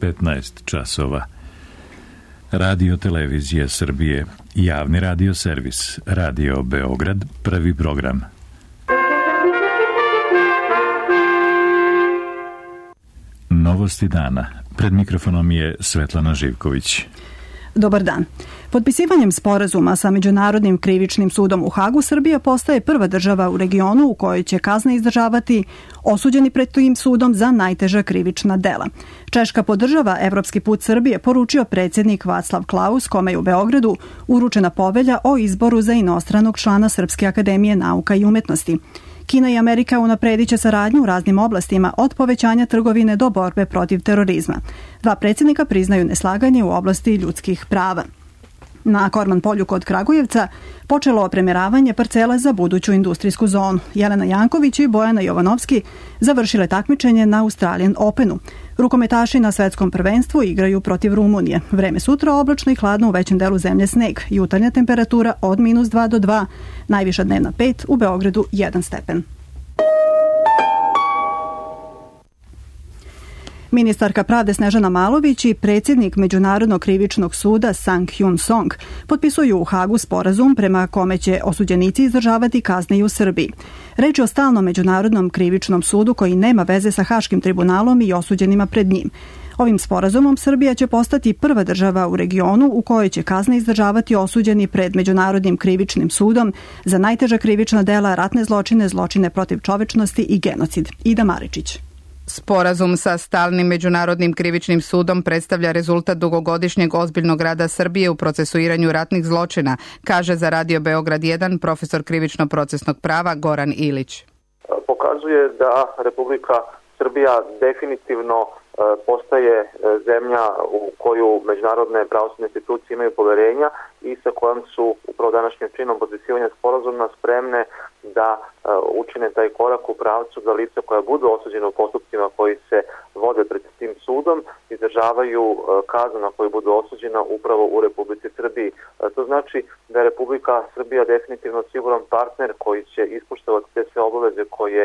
15 časova. Radio Televizija Srbije, javni radio servis, Radio Beograd, prvi program. Novosti dana. Pred mikrofonom je Svetlana Živković. Dobar dan. Potpisivanjem sporazuma sa Međunarodnim krivičnim sudom u Hagu, Srbija postaje prva država u regionu u kojoj će kazne izdržavati osuđeni pred tim sudom za najteža krivična dela. Češka podržava evropski put Srbije, poručio predsjednik Václav Klaus, kome je u Beogradu uručena povelja o izboru za inostranog člana Srpske akademije nauka i umetnosti. Kina i Amerika unapredit će saradnju u raznim oblastima, od povećanja trgovine do borbe protiv terorizma. Dva predsjednika priznaju neslaganje u oblasti ljudskih prava. Na Korman polju kod Kragujevca počelo premjeravanje parcela za buduću industrijsku zonu. Jelena Janković i Bojana Jovanovski završile takmičenje na Australian Openu. Rukometaši na svetskom prvenstvu igraju protiv Rumunije. Vreme sutra oblačno i hladno, u većem delu zemlje sneg. Jutarnja temperatura od -2 do 2, najviša dnevna 5, u Beogradu 1 stepen. Ministarka pravde Snežana Malović i predsjednik Međunarodnog krivičnog suda Sang Hyun Song potpisuju u Hagu sporazum prema kome će osuđenici izdržavati kazne i u Srbiji. Reč je o stalnom Međunarodnom krivičnom sudu koji nema veze sa Haškim tribunalom i osuđenima pred njim. Ovim sporazumom Srbija će postati prva država u regionu u kojoj će kazne izdržavati osuđeni pred Međunarodnim krivičnim sudom za najteža krivična dela, ratne zločine, zločine protiv čovečnosti i genocid. Ida Maričić. Sporazum sa stalnim Međunarodnim krivičnim sudom predstavlja rezultat dugogodišnjeg ozbiljnog rada Srbije u procesuiranju ratnih zločina, kaže za Radio Beograd 1 profesor krivično-procesnog prava Goran Ilić. Pokazuje da Republika Srbija definitivno postaje zemlja u koju međunarodne pravosudne institucije imaju poverenja i sa kojom su upravo današnjim činom potpisivanja sporazuma spremne da učine taj korak u pravcu da lica koja budu osuđena u postupcima koji se vode pred tim sudom izdržavaju kaznu na koju budu osuđena upravo u Republici Srbiji. To znači da je Republika Srbija definitivno siguran partner koji će ispoštovati te sve obaveze koje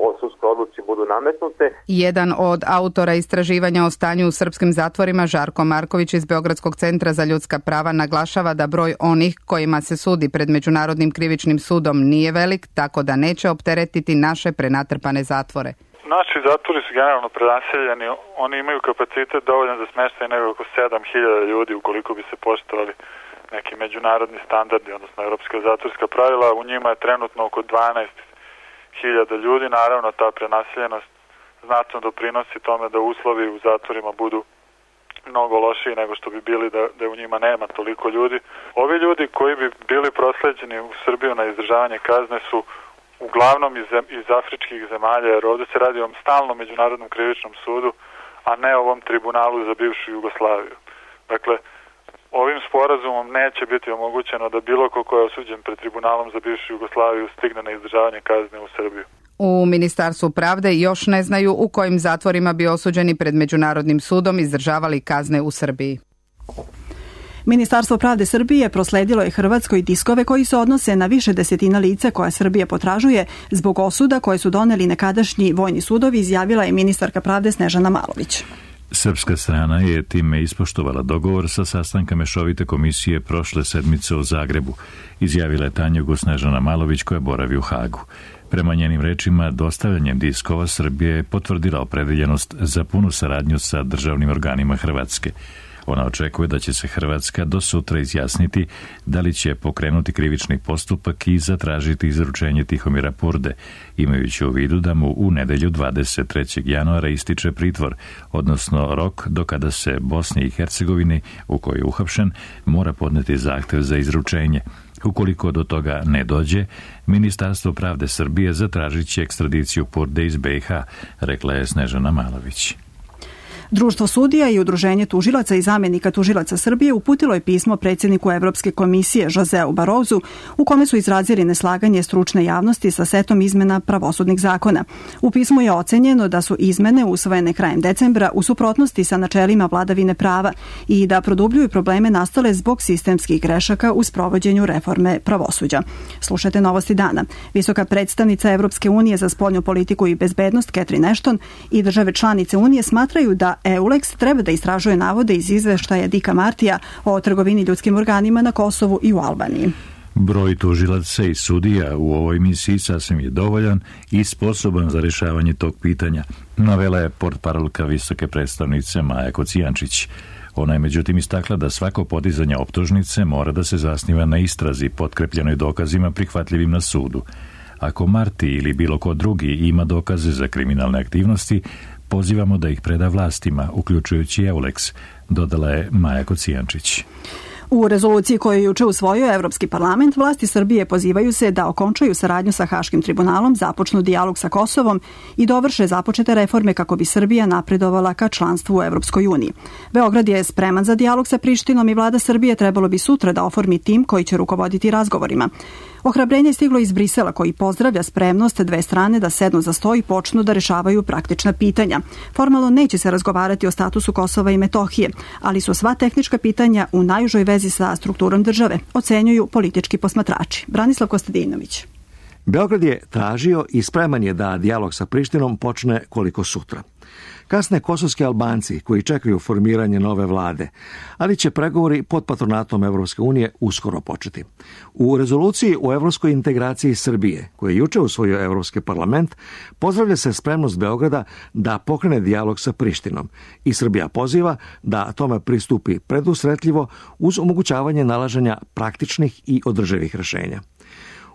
u sudskoj odluci budu nametnute. Jedan od autora istraživanja o stanju u srpskim zatvorima, Žarko Marković iz Beogradskog centra za ljudska prava, naglašava da broj onih kojima se sudi pred Međunarodnim krivičnim sudom nije velik, tako da neće opteretiti naše prenatrpane zatvore. Naši zatvori su generalno prenaseljeni, oni imaju kapacitet dovoljan za smještaj nego oko 7.000 ljudi ukoliko bi se poštovali neki međunarodni standardi, odnosno europska zatvorska pravila. U njima je trenutno oko 12.000 ljudi. Naravno, ta prenaseljenost znatno doprinosi tome da uslovi u zatvorima budu mnogo lošiji nego što bi bili da u njima nema toliko ljudi. Ovi ljudi koji bi bili prosleđeni u Srbiju na izdržavanje kazne su uglavnom iz afričkih zemalja, jer ovdje se radi o stalnom Međunarodnom krivičnom sudu, a ne ovom tribunalu za bivšu Jugoslaviju. Dakle, ovim sporazumom neće biti omogućeno da bilo ko je osuđen pred tribunalom za bivšu Jugoslaviju stigne na izdržavanje kazne u Srbiju. U Ministarstvu pravde još ne znaju u kojim zatvorima bi osuđeni pred Međunarodnim sudom izdržavali kazne u Srbiji. Ministarstvo pravde Srbije prosledilo je Hrvatskoj diskove koji se odnose na više desetina lica koja Srbija potražuje zbog osuda koje su doneli nekadašnji vojni sudovi, izjavila je ministarka pravde Snežana Malović. Srpska strana je time ispoštovala dogovor sa sastanka mešovite komisije prošle sedmice u Zagrebu, izjavila je Tanjugu Snežana Malović koja boravi u Hagu. Prema njenim rečima, dostavljanjem diskova Srbija je potvrdila opredeljenost za punu saradnju sa državnim organima Hrvatske. Ona očekuje da će se Hrvatska do sutra izjasniti da li će pokrenuti krivični postupak i zatražiti izručenje Tihomira Purde, imajući u vidu da mu u nedelju 23. januara ističe pritvor, odnosno rok do kada se Bosni i Hercegovini, u kojoj je uhapšen, mora podneti zahtev za izručenje. Ukoliko do toga ne dođe, Ministarstvo pravde Srbije zatražit će ekstradiciju Purde iz BiH, rekla je Snežana Malović. Društvo sudija i Udruženje tužilaca i zamjenika tužilaca Srbije uputilo je pismo predsjedniku Evropske komisije Joseu Barozu u kome su izrazili neslaganje stručne javnosti sa setom izmena pravosudnih zakona. U pismu je ocenjeno da su izmene usvojene krajem decembra u suprotnosti sa načelima vladavine prava i da produbljuju probleme nastale zbog sistemskih grešaka u sprovođenju reforme pravosuđa. Slušajte novosti dana. Visoka predstavnica Evropske unije za spoljnu politiku i bezbednost Catherine Ashton i države članice unije smatraju da EULEX treba da istražuje navode iz izveštaja Dika Martija o trgovini ljudskim organima na Kosovu i u Albaniji. Broj tužilaca i sudija u ovoj misiji sasvim je dovoljan i sposoban za rješavanje tog pitanja, navela je portparolka visoke predstavnice Maja Kocijančić. Ona je međutim istakla da svako podizanje optužnice mora da se zasniva na istrazi potkrepljenoj dokazima prihvatljivim na sudu. Ako Marti ili bilo ko drugi ima dokaze za kriminalne aktivnosti, pozivamo da ih preda vlastima, uključujući EULEX, dodala je Maja Kocijančić. U rezoluciji koju je juče usvojio Evropski parlament, vlasti Srbije pozivaju se da okončaju saradnju sa Haškim tribunalom, započnu dijalog sa Kosovom i dovrše započete reforme kako bi Srbija napredovala ka članstvu u Evropskoj uniji. Beograd je spreman za dijalog sa Prištinom i vlada Srbije trebalo bi sutra da oformi tim koji će rukovoditi razgovorima. Ohrabrenje je stiglo iz Brisela koji pozdravlja spremnost dve strane da sednu za sto i počnu da rešavaju praktična pitanja. Formalno neće se razgovarati o statusu Kosova i Metohije, ali su sva tehnička pitanja u najužoj vezi sa strukturom države, ocenjuju politički posmatrači. Branislav Kostadinović. Beograd je tražio i spreman je da dijalog sa Prištinom počne koliko sutra. Kasne kosovski Albanci koji čekaju formiranje nove vlade, ali će pregovori pod patronatom Evropske unije uskoro početi. U rezoluciji o evropskoj integraciji Srbije, koju je juče usvojio Evropski parlament, pozdravlja se spremnost Beograda da pokrene dijalog sa Prištinom i Srbija poziva da tome pristupi predusretljivo uz omogućavanje nalaženja praktičnih i održivih rešenja.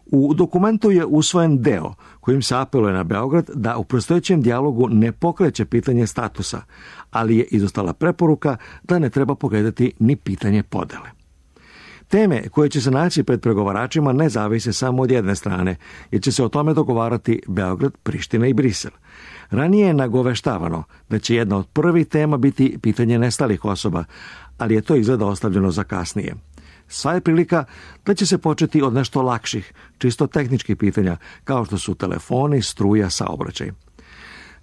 U dokumentu je usvojen deo kojim se apeluje na Beograd da u predstojećem dijalogu ne pokreće pitanje statusa, ali je izostala preporuka da ne treba pogledati ni pitanje podele. Teme koje će se naći pred pregovaračima ne zavise samo od jedne strane, jer će se o tome dogovarati Beograd, Priština i Brisel. Ranije je nagoveštavano da će jedna od prvih tema biti pitanje nestalih osoba, ali je to izgleda ostavljeno za kasnije. Sva je prilika da će se početi od nešto lakših, čisto tehničkih pitanja, kao što su telefoni, struja, saobraćaj.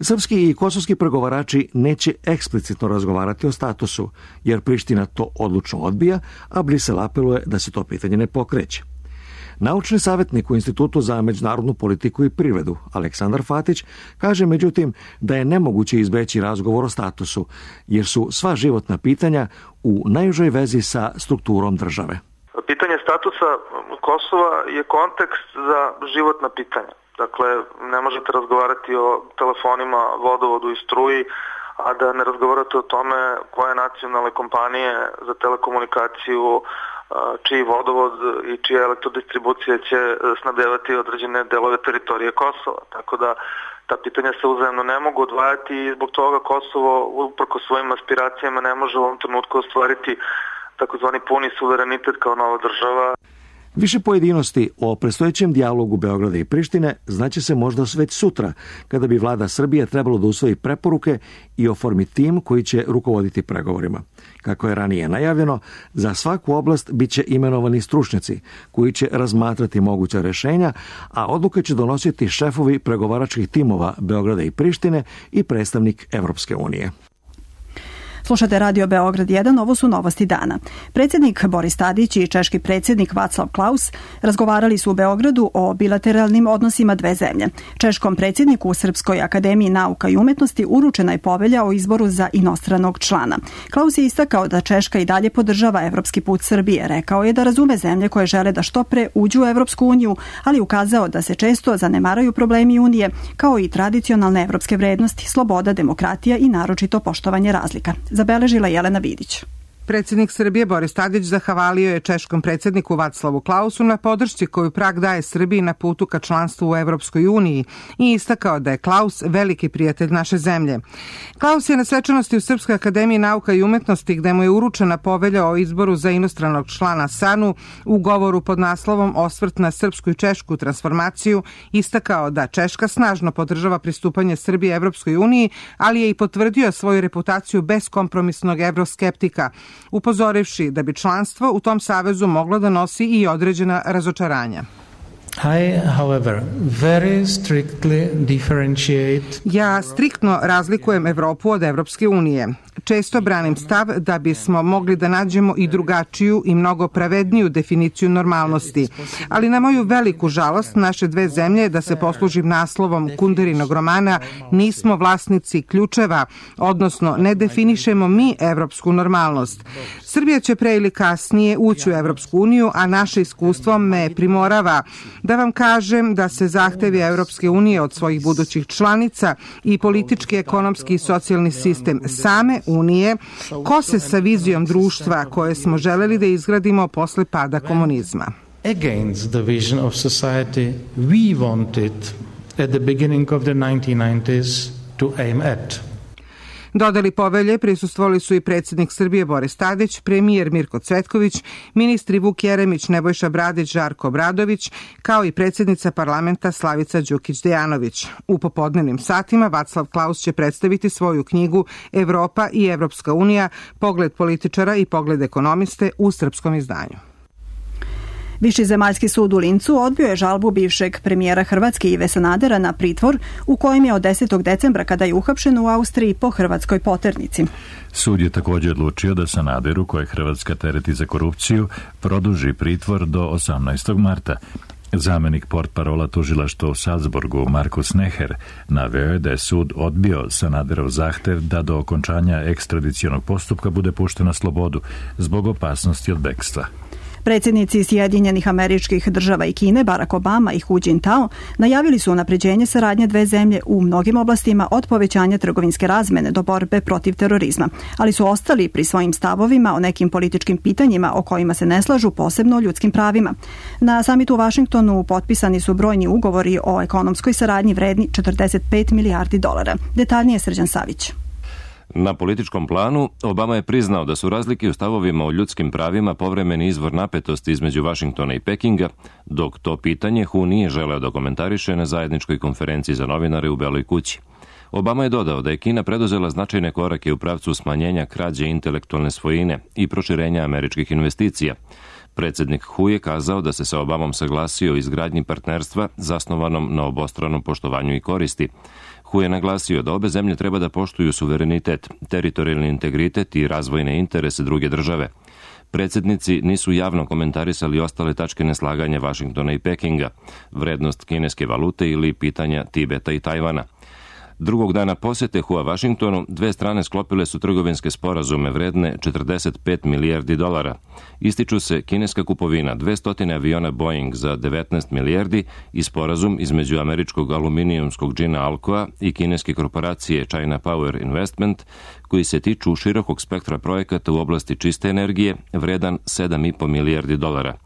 Srpski i kosovski pregovarači neće eksplicitno razgovarati o statusu, jer Priština to odlučno odbija, a Brisel apeluje da se to pitanje ne pokreće. Naučni savjetnik u Institutu za međunarodnu politiku i privredu, Aleksandar Fatić, kaže međutim da je nemoguće izbeći razgovor o statusu, jer su sva životna pitanja u najužoj vezi sa strukturom države. Pitanje statusa Kosova je kontekst za životna pitanja. Dakle, ne možete razgovarati o telefonima, vodovodu i struji, a da ne razgovarate o tome koje nacionalne kompanije za telekomunikaciju, čiji vodovod i čija elektrodistribucija će snabdevati određene delove teritorije Kosova. Tako da ta pitanja se uzajemno ne mogu odvajati i zbog toga Kosovo, uprko svojim aspiracijama, ne može u ovom trenutku ostvariti takozvani puni suverenitet kao nova država. Više pojedinosti o predstojećem dijalogu Beograda i Prištine znaće se možda već sutra, kada bi vlada Srbije trebalo da usvoji preporuke i oformi tim koji će rukovoditi pregovorima. Kako je ranije najavljeno, za svaku oblast bit će imenovani stručnjaci koji će razmatrati moguća rešenja, a odluke će donositi šefovi pregovaračkih timova Beograda i Prištine i predstavnik Evropske unije. Slušate Radio Beograd 1, ovo su novosti dana. Predsjednik Boris Tadić i češki predsjednik Václav Klaus razgovarali su u Beogradu o bilateralnim odnosima dve zemlje. Češkom predsjedniku u Srpskoj akademiji nauka i umetnosti uručena je povelja o izboru za inostranog člana. Klaus je istakao da Češka i dalje podržava evropski put Srbije. Rekao je da razume zemlje koje žele da što pre uđu u Evropsku uniju, ali ukazao da se često zanemaraju problemi unije, kao i tradicionalne evropske vrednosti, sloboda, demokratija i naročito poštovanje razlika. Zabeležila Jelena Vidić. Predsjednik Srbije Boris Tadić zahvalio je češkom predsjedniku Václavu Klausu na podršci koju Prag daje Srbiji na putu ka članstvu u Evropskoj uniji i istakao da je Klaus veliki prijatelj naše zemlje. Klaus je na svečanosti u Srpskoj akademiji nauka i umetnosti, gde mu je uručena povelja o izboru za inostranog člana SANU, u govoru pod naslovom Osvrt na srpsku i češku transformaciju, istakao da Češka snažno podržava pristupanje Srbije Evropskoj uniji, ali je i potvrdio svoju reputaciju beskompromisnog evroskeptika, upozorivši da bi članstvo u tom savezu moglo da nosi i određena razočaranja. Ja striktno razlikujem Evropu od Evropske unije. Često branim stav da bismo mogli da nađemo i drugačiju i mnogo pravedniju definiciju normalnosti, ali na moju veliku žalost naše dve zemlje, da se poslužim naslovom Kunderinog romana, nismo vlasnici ključeva, odnosno ne definišemo mi evropsku normalnost. Srbija će pre ili kasnije ući u Evropsku uniju, a naše iskustvo me primorava da vam kažem da se zahtevi Evropske unije od svojih budućih članica i politički, ekonomski i socijalni sistem same Unije kose sa vizijom društva koje smo želeli da izgradimo posle pada komunizma. Against the vision of society we wanted at the beginning of the 1990s to aim at. Dodali povelje prisustvovali su i predsjednik Srbije Boris Tadić, premijer Mirko Cvetković, ministri Vuk Jeremić, Nebojša Bradić, Žarko Obradović, kao i predsjednica parlamenta Slavica Đukić-Dejanović. U popodnevnim satima Vaclav Klaus će predstaviti svoju knjigu Evropa i Evropska unija, pogled političara i pogled ekonomiste u srpskom izdanju. Viši zemaljski sud u Lincu odbio je žalbu bivšeg premijera Hrvatske Ive Sanadera na pritvor u kojem je od 10. decembra kada je uhapšen u Austriji po hrvatskoj poternici. Sud je također odlučio da Sanaderu, koje Hrvatska tereti za korupciju, produži pritvor do 18. marta. Zamenik portparola tužilaštva u Salzburgu Markus Neher naveo je da je sud odbio Sanaderov zahtev da do okončanja ekstradicionog postupka bude pušten na slobodu zbog opasnosti od bekstva. Predsjednici Sjedinjenih Američkih Država i Kine, Barack Obama i Hu Jintao, najavili su unapređenje saradnje dve zemlje u mnogim oblastima od povećanja trgovinske razmene do borbe protiv terorizma, ali su ostali pri svojim stavovima o nekim političkim pitanjima o kojima se ne slažu, posebno o ljudskim pravima. Na samitu u Vašingtonu potpisani su brojni ugovori o ekonomskoj saradnji vredni 45 milijardi dolara. Detaljnije Srđan Savić. Na političkom planu Obama je priznao da su razlike u stavovima o ljudskim pravima povremeni izvor napetosti između Vašingtona i Pekinga, dok to pitanje Hu nije želeo da komentariše na zajedničkoj konferenciji za novinare u Beloj kući. Obama je dodao da je Kina preduzela značajne korake u pravcu smanjenja krađe intelektualne svojine i proširenja američkih investicija. Predsjednik Hu je kazao da se sa Obamom saglasio o izgradnji partnerstva zasnovanom na obostranom poštovanju i koristi. Hu je naglasio da obe zemlje treba da poštuju suverenitet, teritorijalni integritet i razvojne interese druge države. Predsjednici nisu javno komentarisali ostale tačke neslaganja Vašingtona i Pekinga, vrednost kineske valute ili pitanja Tibeta i Tajvana. Drugog dana posjete Hua Vašingtonu, dve strane sklopile su trgovinske sporazume vredne 45 milijardi dolara. Ističu se kineska kupovina 200 aviona Boeing za 19 milijardi i sporazum između američkog aluminijumskog džina Alcoa i kineske korporacije China Power Investment, koji se tiču širokog spektra projekata u oblasti čiste energije, vredan 7,5 milijardi dolara.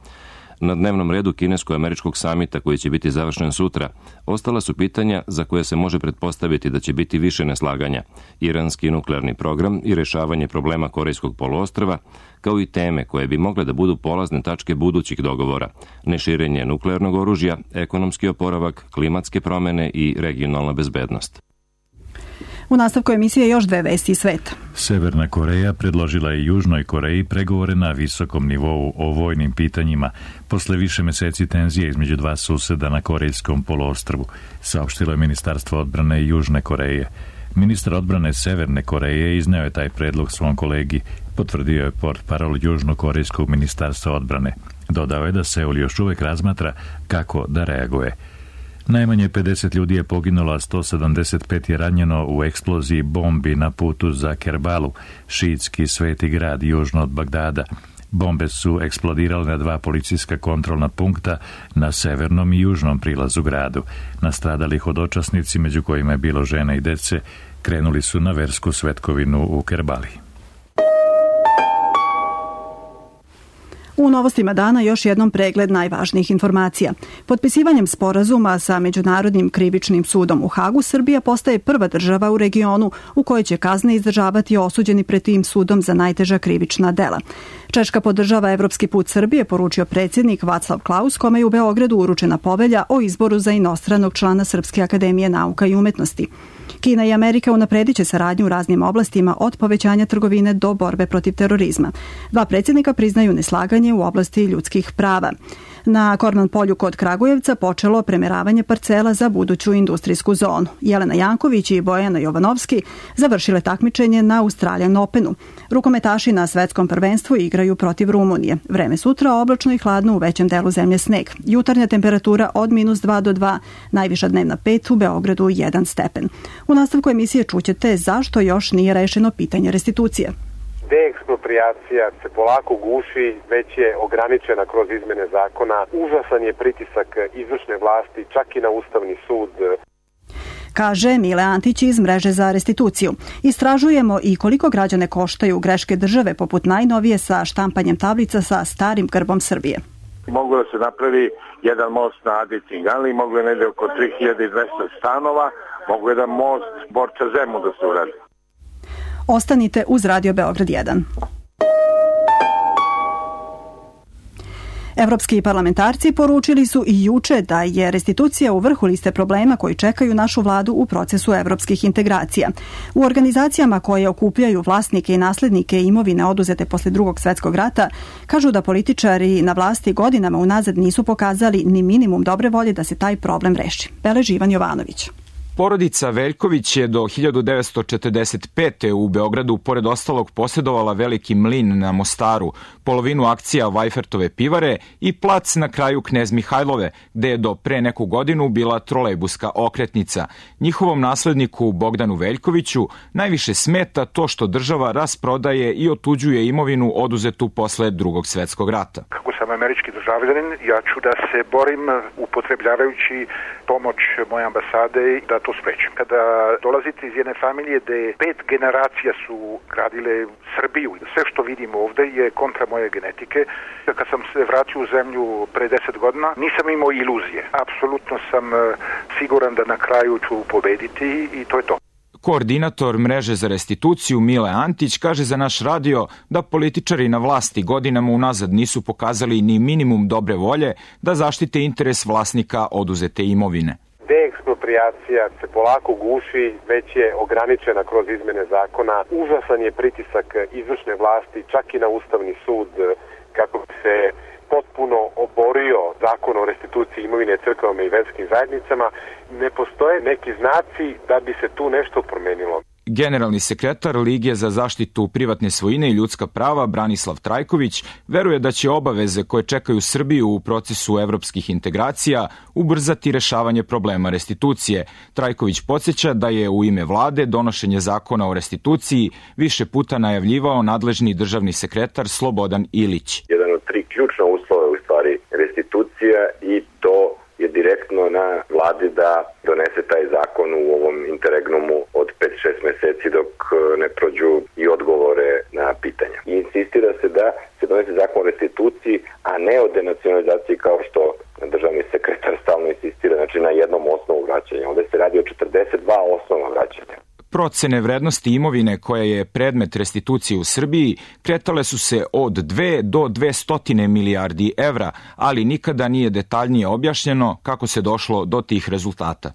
Na dnevnom redu kinesko-američkog samita koji će biti završen sutra, ostala su pitanja za koje se može pretpostaviti da će biti više neslaganja, iranski nuklearni program i rešavanje problema Korejskog poluostrva, kao i teme koje bi mogle da budu polazne tačke budućih dogovora, neširenje nuklearnog oružja, ekonomski oporavak, klimatske promene i regionalna bezbednost. U nastavku emisije još dve vesti iz sveta. Severna Koreja predložila je Južnoj Koreji pregovore na visokom nivou o vojnim pitanjima posle više meseci tenzije između dva suseda na Korejskom poluostrvu, saopštilo je Ministarstvo odbrane Južne Koreje. Ministar odbrane Severne Koreje izneo je taj predlog svom kolegi, potvrdio je portparol Južnokorejskog ministarstva odbrane. Dodao je da Seul još uvek razmatra kako da reaguje. Najmanje 50 ljudi je poginulo, a 175 je ranjeno u eksploziji bombi na putu za Kerbalu, šiitski sveti grad južno od Bagdada. Bombe su eksplodirale na dva policijska kontrolna punkta na severnom i južnom prilazu gradu. Nastradali hodočasnici, među kojima je bilo žena i dece, krenuli su na versku svetkovinu u Kerbali. U novostima dana još jednom pregled najvažnijih informacija. Potpisivanjem sporazuma sa Međunarodnim krivičnim sudom u Hagu, Srbija postaje prva država u regionu u kojoj će kazne izdržavati osuđeni pred tim sudom za najteža krivična dela. Češka podržava evropski put Srbije, poručio predsjednik Vaclav Klaus, kome je u Beogradu uručena povelja o izboru za inostranog člana Srpske akademije nauka i umetnosti. Kina i Amerika unapredit će saradnju u raznim oblastima od povećanja trgovine do borbe protiv terorizma. Dva predsjednika priznaju neslaganje u oblasti ljudskih prava. Na Korman polju kod Kragujevca počelo premeravanje parcela za buduću industrijsku zonu. Jelena Janković i Bojana Jovanovski završile takmičenje na Australian Openu. Rukometaši na svetskom prvenstvu igraju protiv Rumunije. Vreme sutra oblačno i hladno, u većem delu zemlje sneg. Jutarnja temperatura od -2 do 2, najviša dnevna 5, u Beogradu 1 stepen. U nastavku emisije čućete zašto još nije rešeno pitanje restitucije. Deeksproprijacija se polako guši, već je ograničena kroz izmene zakona. Užasan je pritisak izvršne vlasti, čak i na Ustavni sud. Kaže Mile Antić iz Mreže za restituciju. Istražujemo i koliko građane koštaju greške države, poput najnovije sa štampanjem tablica sa starim grbom Srbije. Moglo da se napravi jedan most na Adi Cinganli, moglo je negde oko 3200 stanova, moglo je da most Borča Zemun da se uradi. Ostanite uz Radio Beograd 1. Evropski parlamentarci poručili su i juče da je restitucija u vrhu liste problema koji čekaju našu vladu u procesu evropskih integracija. U organizacijama koje okupljaju vlasnike i naslednike imovine oduzete posle Drugog svjetskog rata kažu da političari na vlasti godinama unazad nisu pokazali ni minimum dobre volje da se taj problem reši. Beleži Ivan Jovanović. Porodica Veljković je do 1945. u Beogradu pored ostalog posjedovala veliki mlin na Mostaru, polovinu akcija Vajfertove pivare i plac na kraju Knez Mihajlove, gde je do pre neku godinu bila trolejbuska okretnica. Njihovom nasledniku Bogdanu Veljkoviću najviše smeta to što država rasprodaje i otuđuje imovinu oduzetu posle Drugog svjetskog rata. Kako sam američki državljanin, ja ću da se borim upotrebljavajući pomoć moje ambasade da to sprečim. Kada dolazite iz jedne familije gde 5 generacija su gradile Srbiju, sve što vidim ovde je kontra moje genetike. Kad sam se vratio u zemlju pre 10 godina, nisam imao iluzije. Apsolutno sam siguran da na kraju ću pobediti i to je to. Koordinator Mreže za restituciju Mile Antić kaže za naš radio da političari na vlasti godinama unazad nisu pokazali ni minimum dobre volje da zaštite interes vlasnika oduzete imovine. Deeksproprijacija se polako guši, već je ograničena kroz izmene zakona. Užasan je pritisak izvršne vlasti, čak i na Ustavni sud, kako bi se potpuno oborio zakon o restituciji imovine crkvama i verskim zajednicama. Ne postoje neki znaci da bi se tu nešto promenilo. Generalni sekretar Lige za zaštitu privatne svojine i ljudska prava Branislav Trajković veruje da će obaveze koje čekaju Srbiju u procesu evropskih integracija ubrzati rešavanje problema restitucije. Trajković podsjeća da je u ime vlade donošenje zakona o restituciji više puta najavljivao nadležni državni sekretar Slobodan Ilić. Jedan od 3 ključna uslova je u stvari restitucija i to je direktno na vladi da donese taj zakon u ovom interregnumu od 5-6 meseci dok ne prođu i odgovore na pitanja. I insistira se da se donese zakon o restituciji, a ne o denacionalizaciji kao što državni sekretar stalno insistira, znači na jednom osnovu vraćanja. Ovdje se radi o 42 osnova vraćanja. Procene vrednosti imovine koja je predmet restitucije u Srbiji kretale su se od 2 do 200 milijardi evra, ali nikada nije detaljnije objašnjeno kako se došlo do tih rezultata.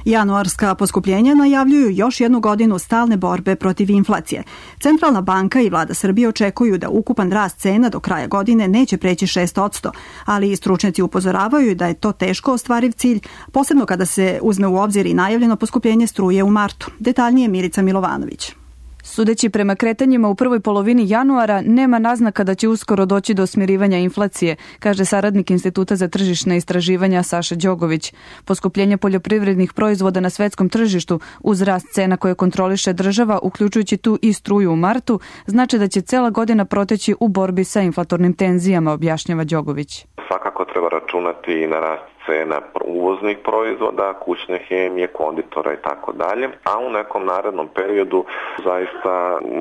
Januarska poskupljenja najavljuju još jednu godinu stalne borbe protiv inflacije. Centralna banka i vlada Srbije očekuju da ukupan rast cena do kraja godine neće preći 6%, ali i stručnjaci upozoravaju da je to teško ostvariv cilj, posebno kada se uzme u obzir i najavljeno poskupljenje struje u martu. Detaljnije Milica Milovanović. Sudeći prema kretanjima u prvoj polovini januara, nema naznaka da će uskoro doći do smirivanja inflacije, kaže saradnik Instituta za tržišne istraživanja Saša Đogović. Poskupljenje poljoprivrednih proizvoda na svetskom tržištu uz rast cena koje kontroliše država, uključujući tu i struju u martu, znači da će cela godina proteći u borbi sa inflatornim tenzijama, objašnjava Đogović. Svakako treba računati i na rast cena uvoznih proizvoda, kućne hemije, konditora i tako dalje, a u nekom narednom periodu zaista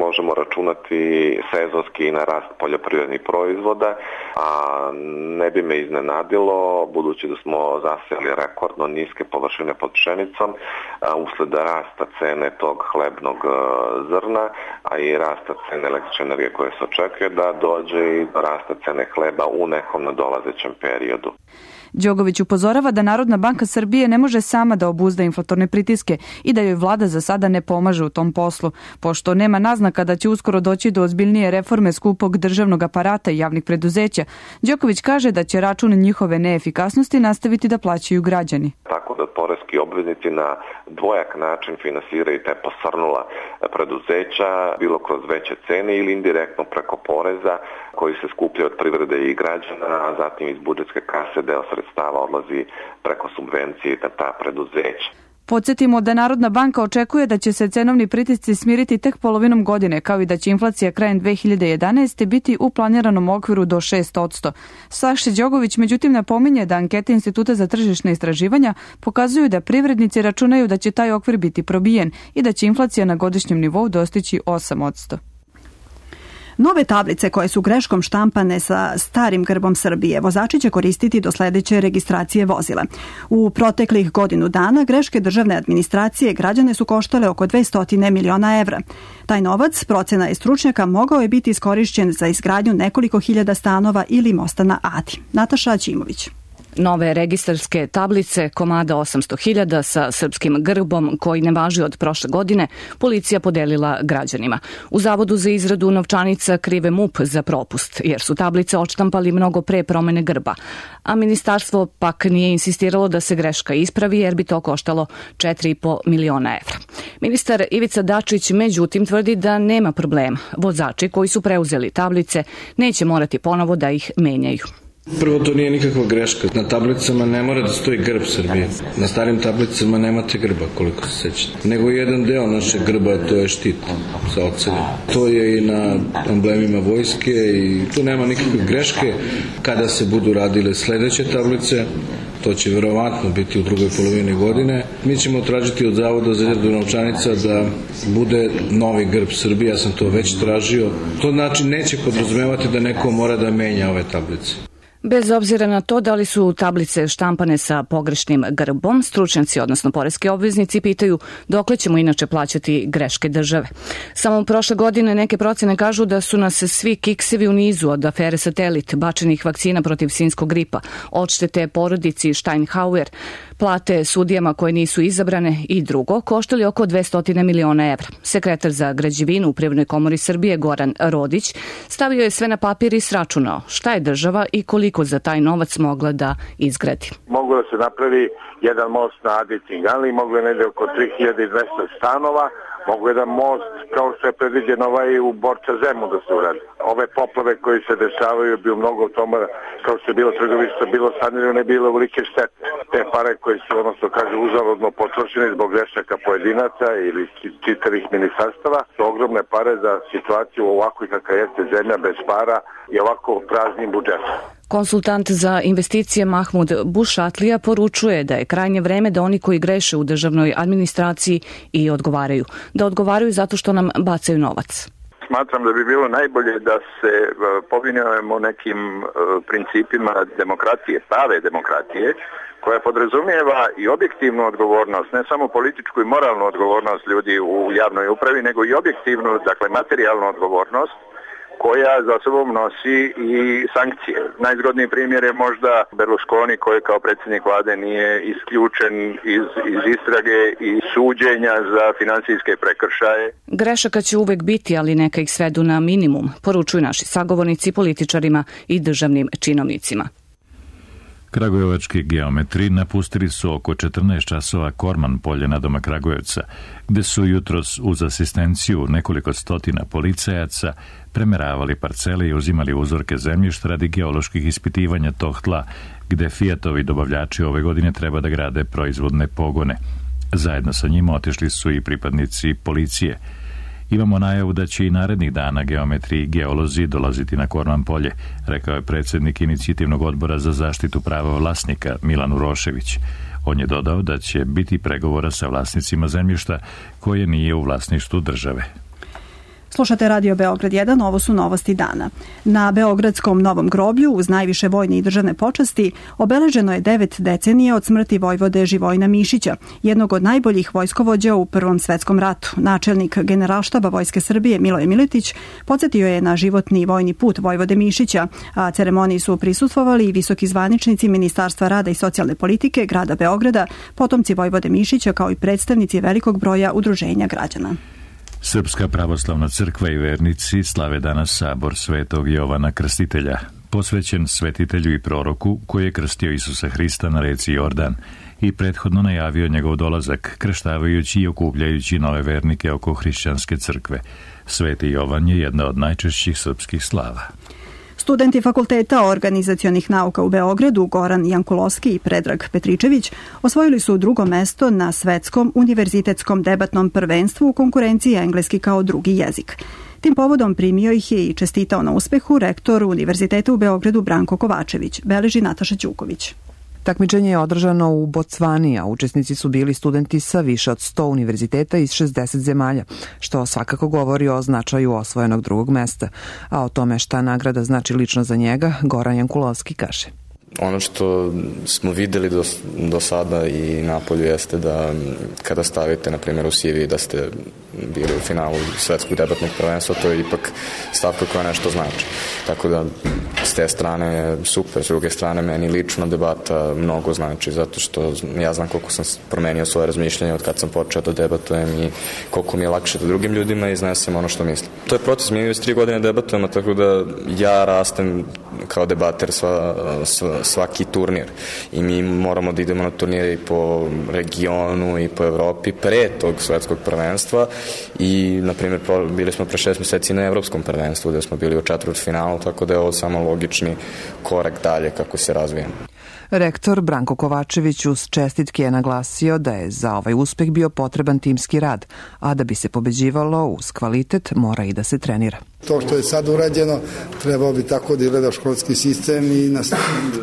možemo računati sezonski i na rast poljoprivrednih proizvoda, a ne bi me iznenadilo, budući da smo zaseli rekordno niske površine pod pšenicom, usled rasta cene tog hlebnog zrna, a i rasta cene električne energije koje se očekuje, da dođe i do rasta cene hleba u nekom nadolazećem periodu. Đogović upozorava da Narodna banka Srbije ne može sama da obuzda inflatorne pritiske i da joj vlada za sada ne pomaže u tom poslu, pošto nema naznaka da će uskoro doći do ozbiljnije reforme skupog državnog aparata i javnih preduzeća. Đoković kaže da će račun njihove neefikasnosti nastaviti da plaćaju građani. Tako da poreski obveznici na dvojak način finansiraju te posrnula preduzeća, bilo kroz veće cene ili indirektno preko poreza koji se skupljaju od privrede i građana, a zatim iz budžetske kase deo sredstava odlazi preko subvencije na ta preduzeća. Podsjetimo da Narodna banka očekuje da će se cenovni pritisci smiriti tek polovinom godine, kao i da će inflacija krajem 2011. biti u planiranom okviru do 6%. Saša Đogović međutim napominje da ankete Instituta za tržišne istraživanja pokazuju da privrednici računaju da će taj okvir biti probijen i da će inflacija na godišnjem nivou dostići 8%. Nove tablice koje su greškom štampane sa starim grbom Srbije vozači će koristiti do sledeće registracije vozila. U proteklih godinu dana greške državne administracije građane su koštale oko 200 miliona evra. Taj novac, procena je stručnjaka, mogao je biti iskorišćen za izgradnju nekoliko hiljada stanova ili mosta na Adi. Nataša Ćimović. Nove registarske tablice, komada 800.000 sa srpskim grbom koji ne važi od prošle godine, policija podelila građanima. U Zavodu za izradu novčanica krive MUP za propust, jer su tablice odštampali mnogo pre promene grba. A ministarstvo pak nije insistiralo da se greška ispravi jer bi to koštalo 4,5 miliona evra. Ministar Ivica Dačić međutim tvrdi da nema problema. Vozači koji su preuzeli tablice neće morati ponovo da ih menjaju. Prvo, to nije nikakva greška. Na tablicama ne mora da stoji grb Srbije. Na starim tablicama nemate grba, koliko se sećate. Nego jedan deo našeg grba, to je štit sa oceljom. To je i na emblemima vojske i tu nema nikakve greške. Kada se budu radile sledeće tablice, to će verovatno biti u drugoj polovini godine, mi ćemo tražiti od Zavoda za izradu novčanica da bude novi grb Srbije. Ja sam to već tražio. To znači neće podrazumevati da neko mora da menja ove tablice. Bez obzira na to da li su tablice štampane sa pogrešnim grbom, stručnjaci, odnosno poreski obveznici, pitaju dokle ćemo inače plaćati greške države. Samo prošle godine neke procene kažu da su nas svi kiksevi u nizu od afere Satelit, bačenih vakcina protiv svinjskog gripa, odštete porodici Steinhauer, plate sudijama koje nisu izabrane i drugo, koštali oko 200 miliona evra. Sekretar za građevinu u Privrednoj komori Srbije Goran Rodić stavio je sve na papir i sračunao šta je država i koliko za taj novac mogla da izgradi. Moglo da se napravi jedan most na Adi Cinganli, moglo je negde oko 3200 stanova, mogu jedan most kao što je predviđeno u Borča Zemu da se uradi. Ove poplave koje se dešavaju bi u mnogo toma, kao što je bilo trgovište, bilo sanirano, ne bilo velike štete. Te pare koje su, odnosno kaže, uzaludno potrošene zbog grešaka pojedinaca ili čitavih ministarstava, su ogromne pare za situaciju ovako kakva jeste zemlja bez para i ovako praznim budžetom. Konsultant za investicije Mahmud Bušatlija poručuje da je krajnje vreme da oni koji greše u državnoj administraciji i odgovaraju. Da odgovaraju zato što nam bacaju novac. Smatram da bi bilo najbolje da se povinujemo nekim principima demokratije, prave demokratije, koja podrazumijeva i objektivnu odgovornost, ne samo političku i moralnu odgovornost ljudi u javnoj upravi, nego i objektivnu, dakle materijalnu odgovornost, koja za sobom nosi i sankcije. Najzgodniji primjer je možda Berlusconi koji kao predsjednik vlade nije isključen iz istrage i suđenja za finansijske prekršaje. Grešaka će uvek biti, ali neka ih svedu na minimum, poručuju naši sagovornici političarima i državnim činovnicima. Kragujevački geometri napustili su oko 14 časova Korman polje na doma Kragujevca, gde su jutros uz asistenciju nekoliko stotina policajaca premeravali parcele i uzimali uzorke zemljišta radi geoloških ispitivanja tog tla, gde Fiatovi dobavljači ove godine treba da grade proizvodne pogone. Zajedno sa njima otišli su i pripadnici policije. Imamo najavu da će i narednih dana geometri i geolozi dolaziti na Korman polje, rekao je predsjednik inicijativnog odbora za zaštitu prava vlasnika Milan Urošević. On je dodao da će biti pregovora sa vlasnicima zemljišta koje nije u vlasništvu države. Slušate Radio Beograd 1, ovo su novosti dana. Na Beogradskom Novom groblju, uz najviše vojne i državne počasti, obeleženo je 9 decenija od smrti vojvode Živojina Mišića, jednog od najboljih vojskovođa u Prvom svetskom ratu. Načelnik Generalštaba Vojske Srbije Miloje Miletić podsjetio je na životni vojni put vojvode Mišića, a ceremoniji su prisustvovali i visoki zvaničnici Ministarstva rada i socijalne politike grada Beograda, potomci vojvode Mišića kao i predstavnici velikog broja udruženja građana. Srpska pravoslavna crkva i vernici slave danas sabor Svetog Jovana Krstitelja, posvećen svetitelju i proroku koji je krstio Isusa Hrista na reci Jordan i prethodno najavio njegov dolazak, krštavajući i okupljajući nove vernike oko hrišćanske crkve. Sveti Jovan je jedna od najčešćih srpskih slava. Studenti Fakulteta organizacionih nauka u Beogradu, Goran Jankulovski i Predrag Petričević, osvojili su drugo mesto na svetskom univerzitetskom debatnom prvenstvu u konkurenciji engleski kao drugi jezik. Tim povodom primio ih je i čestitao na uspehu rektor Univerziteta u Beogradu Branko Kovačević, beleži Nataša Ćuković. Takmičenje je održano u Bocvani, a učesnici su bili studenti sa više od 100 univerziteta iz 60 zemalja, što svakako govori o značaju osvojenog drugog mesta. A o tome šta nagrada znači lično za njega, Goran Jankulovski kaže. Ono što smo videli do sada i napolju jeste da kada stavite, na primjer, u CV da ste bili u finalu svetskog debatnog prvenstva, to je ipak stavka koja nešto znači. Tako da s te strane je super, s druge strane meni lično debata mnogo znači, zato što ja znam koliko sam promenio svoje razmišljanje od kad sam počeo da debatujem i koliko mi je lakše da drugim ljudima iznesem ono što mislim. To je proces, mi već 3 godine debatujemo, tako da ja rastem kao debater svaki turnir i mi moramo da idemo na turnire i po regionu i po Evropi pre tog svetskog prvenstva i, na primjer, bili smo pre 6 meseci na evropskom prvenstvu gde smo bili u četvrtfinalu, tako da je ovo samo logični korak dalje kako se razvijamo. Rektor Branko Kovačević uz čestitke je naglasio da je za ovaj uspeh bio potreban timski rad, a da bi se pobeđivalo uz kvalitet mora i da se trenira. To što je sad urađeno trebao bi tako da izgleda školski sistem i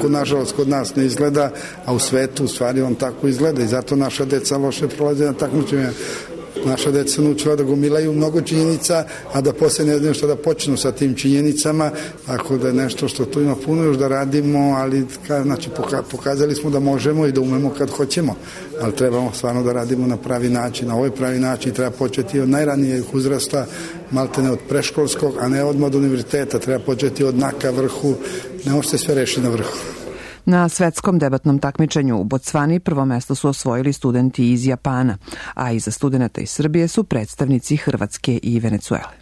nažalost kod nas ne izgleda, a u svetu u stvari on tako izgleda i zato naša deca loše prolaze na takmičenja. Naša deca su naučila da gomilaju mnogo činjenica, a da posle ne znaju što da počnu sa tim činjenicama, tako da je nešto što tu ima puno još da radimo, ali znači, pokazali smo da možemo i da umemo kad hoćemo, ali trebamo stvarno da radimo na pravi način. Na ovaj pravi način treba početi od najranijeg uzrasta, maltene od preškolskog, a ne odmah od univerziteta. Treba početi od naka vrhu, ne može se sve rešiti na vrhu. Na svetskom debatnom takmičenju u Bocvani prvo mesto su osvojili studenti iz Japana, a iza studenata iz Srbije su predstavnici Hrvatske i Venecuele.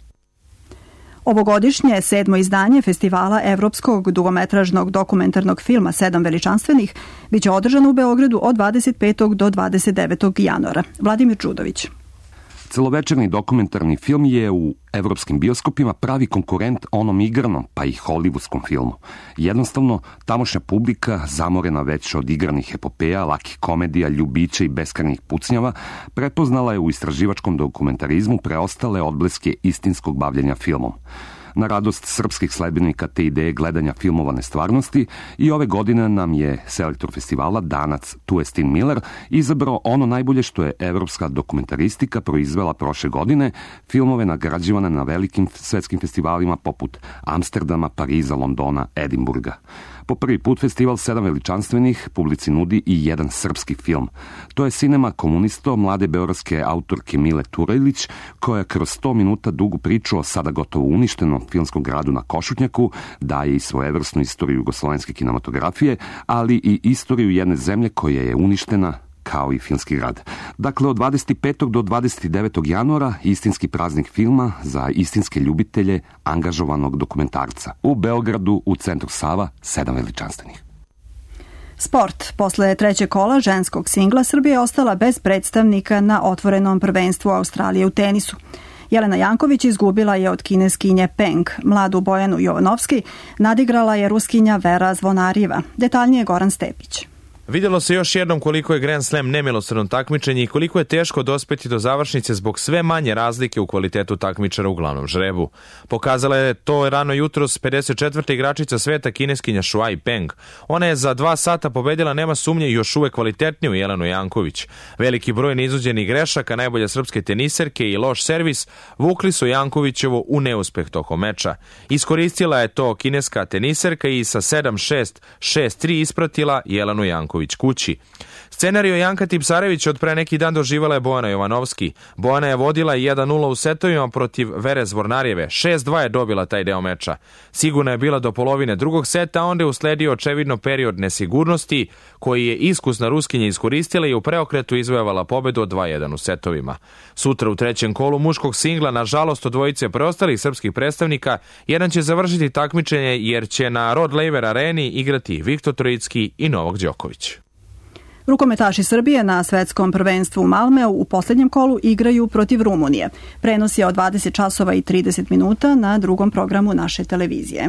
Ovogodišnje 7. izdanje festivala evropskog dugometražnog dokumentarnog filma 7 veličanstvenih biće održano u Beogradu od 25. do 29. januara. Vladimir Čudović. Celovečerni dokumentarni film je u evropskim bioskopima pravi konkurent onom igranom, pa i hollywoodskom filmu. Jednostavno, tamošnja publika, zamorena već od igranih epopeja, lakih komedija, ljubića i beskrajnih pucnjava, prepoznala je u istraživačkom dokumentarizmu preostale odbleske istinskog bavljenja filmom. Na radost srpskih sledbenika te ideje gledanja filmovane stvarnosti i ove godine nam je selektor festivala, Danac Tuestin Miller, izabrao ono najbolje što je evropska dokumentaristika proizvela prošle godine, filmove nagrađivane na velikim svetskim festivalima poput Amsterdama, Pariza, Londona, Edinburga. Po prvi put festival 7 veličanstvenih publici nudi i jedan srpski film. To je Cinema Komunisto mlade beogradske autorke Mile Turajlić, koja kroz 100 minuta dugu priču o sada gotovo uništenom filmskom gradu na Košutnjaku daje i svojevrsnu istoriju jugoslovenske kinematografije, ali i istoriju jedne zemlje koja je uništena kao i filmski grad. Dakle, od 25. do 29. januara istinski praznik filma za istinske ljubitelje angažovanog dokumentarca. U Beogradu, u centru Sava, 7 veličanstvenih. Sport. Posle trećeg kola ženskog singla Srbija je ostala bez predstavnika na otvorenom prvenstvu Australije u tenisu. Jelena Janković izgubila je od kineskinje Peng. Mladu Bojanu Jovanovski nadigrala je ruskinja Vera Zvonarjeva. Detaljnije Goran Stepić. Vidjelo se još jednom koliko je Grand Slam nemilosrdno takmičenje i koliko je teško dospeti do završnice zbog sve manje razlike u kvalitetu takmičara u glavnom žrebu. Pokazala je to rano jutros 54. igračica sveta kineskinja Shuai Peng. Ona je za 2 sata pobedila, nema sumnje, još uvek kvalitetniju Jelenu Janković. Veliki broj neizvođenih grešaka najbolje srpske teniserke i loš servis vukli su Jankovićevo u neuspeh tokom meča. Iskoristila je to kineska teniserka i sa 7-6, 6-3 ispratila Jelenu Janković kući. Scenario Janka Tipsarević od pre neki dan doživala je Bojana Jovanovski. Bojana je vodila 1-0 u setovima protiv Vere Zvornarjeve. 6-2 je dobila taj deo meča. Sigurna je bila do polovine drugog seta, a onda je usledio očevidno period nesigurnosti koji je iskusna Ruskinja iskoristila i u preokretu izvojevala pobedu od 2-1 u setovima. Sutra u trećem kolu muškog singla, nažalost od dvojice preostalih srpskih predstavnika, jedan će završiti takmičenje jer će na Rod Laver areni igrati Viktor Trojicki i Novak Đoković. Rukometaši Srbije na svetskom prvenstvu u Malmeu u posljednjem kolu igraju protiv Rumunije. Prenos je od 20 časova i 30 minuta na drugom programu naše televizije.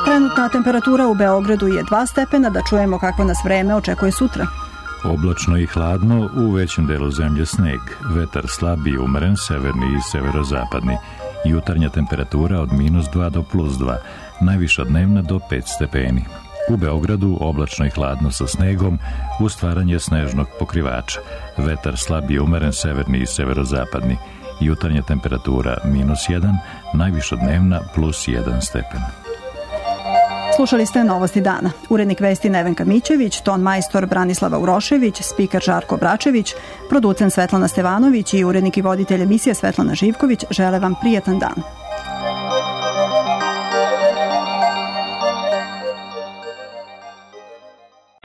Trenutna temperatura u Beogradu je 2 stepena, da čujemo kakvo nas vreme očekuje sutra. Oblačno i hladno, u većem delu zemlje sneg, vetar slab i umeren, severni i severozapadni. Jutarnja temperatura od -2 do +2, najviša dnevna do 5 stepeni. U Beogradu oblačno i hladno sa snegom, uz stvaranje snežnog pokrivača. Vetar slab i umeren, severni i severozapadni. Jutarnja temperatura -1, najviša dnevna +1 stepen. Slušali ste Novosti dana. Urednik vesti Nevenka Mićević, ton majstor Branislava Urošević, spiker Žarko Bračević, producent Svetlana Stevanović i urednik i voditelj emisije Svetlana Živković žele vam prijatan dan.